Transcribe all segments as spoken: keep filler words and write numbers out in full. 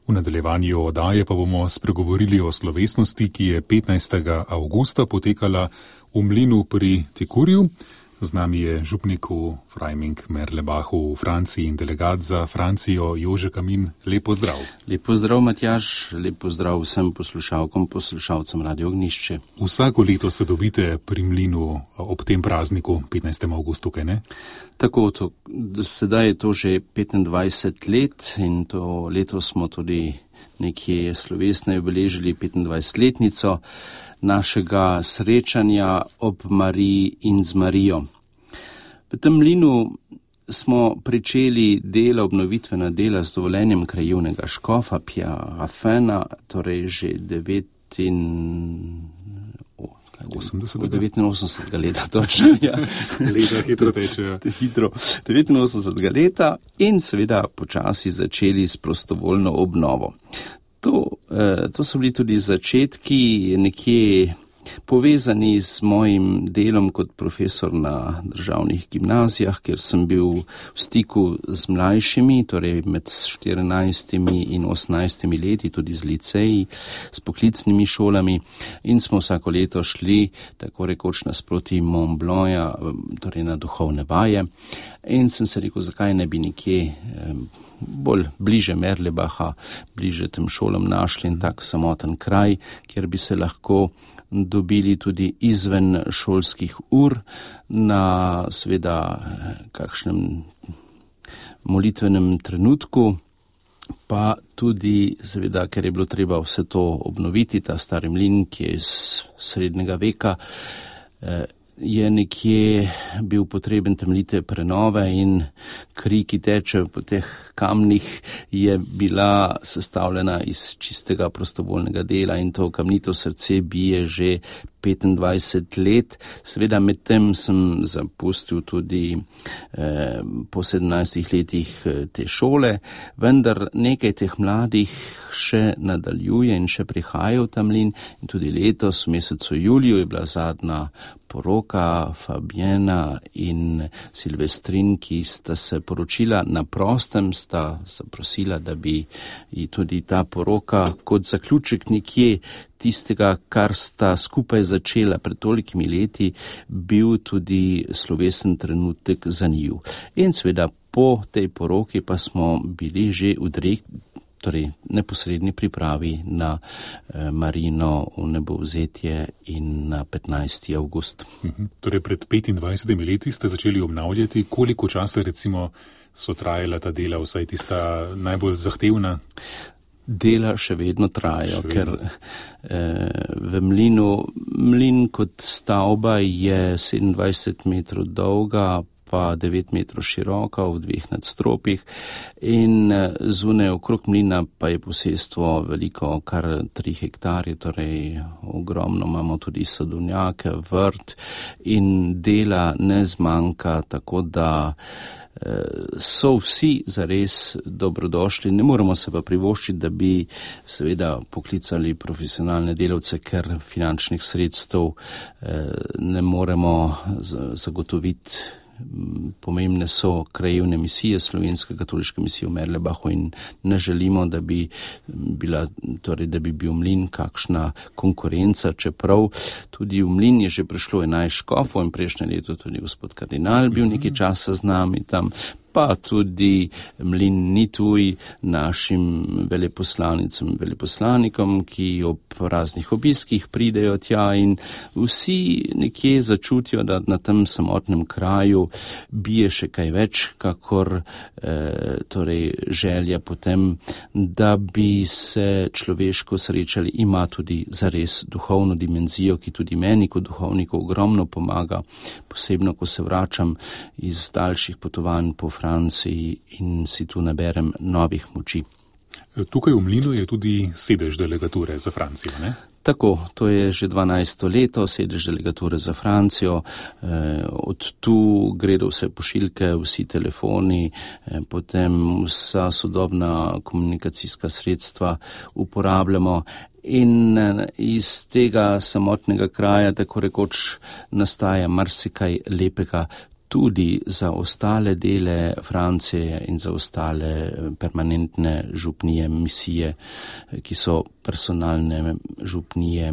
V nadaljevanju oddaje pa bomo spregovorili o slovesnosti, ki je petnajstega avgusta potekala v mlinu pri Tekurju. Z nami je župnik v Freiming-Merlebachu v Franciji in delegat za Francijo Jože Kamin. Lep pozdrav. Lep pozdrav, Matjaž, lep pozdrav vsem poslušalkom, poslušalcem Radio Ognjišče. Vsako leto se dobite pri mlinu ob tem prazniku, petnajstem avgustu, kaj ne? Tako, to, sedaj je to že petindvajset let in to leto smo tudi nekje slovesno obeležili petindvajsetletnico našega srečanja ob Mariji in z Marijo. V tem mlinu smo pričeli dela, obnovitvena dela z dovoljenjem krajevnega škofa Pja Raffena, torej že devetinosemdesetega leta, točno, ja. Leta hitro tečejo. Hitro, devetinosemdesetega leta in seveda počasi začeli s prostovoljno obnovo. To, eh, to so bili tudi začetki nekje povezani z mojim delom kot profesor na državnih gimnazijah, kjer sem bil v stiku z mlajšimi, torej med štirinajstimi in osemnajstimi leti, tudi z liceji, s poklicnimi šolami in smo vsako leto šli tako rekoč nasproti Mont Blanc'a, torej na duhovne vaje. In sem se rekel, zakaj ne bi nekje eh, bolj bliže Merlebacha, bliže tem šolam našli in tak samoten kraj, kjer bi se lahko dobili tudi izven šolskih ur na seveda kakšnem molitvenem trenutku, pa tudi seveda, ker je bilo treba vse to obnoviti, ta stari mlin, ki je iz srednjega veka, eh, je nekje bil potreben temeljite prenove in kri, ki teče po teh kamnih, je bila sestavljena iz čistega prostovoljnega dela in to kamnito srce bije že petindvajset let. Seveda med tem sem zapustil tudi eh, po sedemnajstih letih te šole, vendar nekaj teh mladih še nadaljuje in še prihaja v ta mlin in tudi letos v mesecu juliju je bila zadnja poroka Fabiena in Silvestrin, ki sta se poročila na prostem, sta zaprosila, da bi tudi ta poroka kot zaključek nekje tistega, kar sta skupaj začela pred tolikimi leti, bil tudi slovesen trenutek za njiju. In seveda po tej poroki pa smo bili že v direkt, torej neposredni pripravi na eh, Marijino vnebovzetje in na petnajsti avgust. Mhm. Torej pred petindvajsetimi leti ste začeli obnavljati. Koliko časa recimo so trajala ta dela, vsaj tista najbolj zahtevna? Dela še vedno trajajo, še vedno. Ker eh, v mlinu, mlin kot stavba je sedemindvajset metrov dolga, pa devet metrov široka v dveh nadstropjih in zunaj okrog mlina pa je posestvo veliko, kar tri hektarje, torej ogromno imamo tudi sadovnjake, vrt in dela ne zmanjka, tako da so vsi zares dobrodošli. Ne moremo se pa privoščiti, da bi seveda poklicali profesionalne delavce, ker finančnih sredstev ne moremo zagotoviti. Pomembne so krajevne misije, Slovenske katoliške misije v Merlebachu in ne želimo, da bi bila, torej, da bi bil mlin kakšna konkurenca, čeprav tudi v mlin je že prišlo enajst škofov in prejšnje leto tudi gospod kardinal bil nekaj časa z nami tam, pa tudi mlin ni tuj našim veleposlanicam, veleposlanikom, ki ob raznih obiskih pridejo tja in vsi nekje začutijo, da na tem samotnem kraju bije še kaj več, kakor eh, torej želja potem, da bi se človeško srečali, ima tudi zares duhovno dimenzijo, ki tudi meni kot duhovniku ogromno pomaga, posebno, ko se vračam iz daljših potovanj po Franciji in si tu naberem novih moči. Tukaj v mlinu je tudi sedež delegature za Francijo, ne? Tako, to je že dvanajsto leto, sedež delegature za Francijo, eh, od tu gredo vse pošiljke, vsi telefoni, eh, potem vsa sodobna komunikacijska sredstva uporabljamo in iz tega samotnega kraja tako rekoč nastaja marsikaj lepega tudi za ostale dele Francije in za ostale permanentne župnije, misije, ki so personalne župnije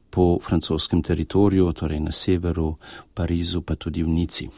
po francoskem teritoriju, torej na severu, Parizu, pa tudi v Nici.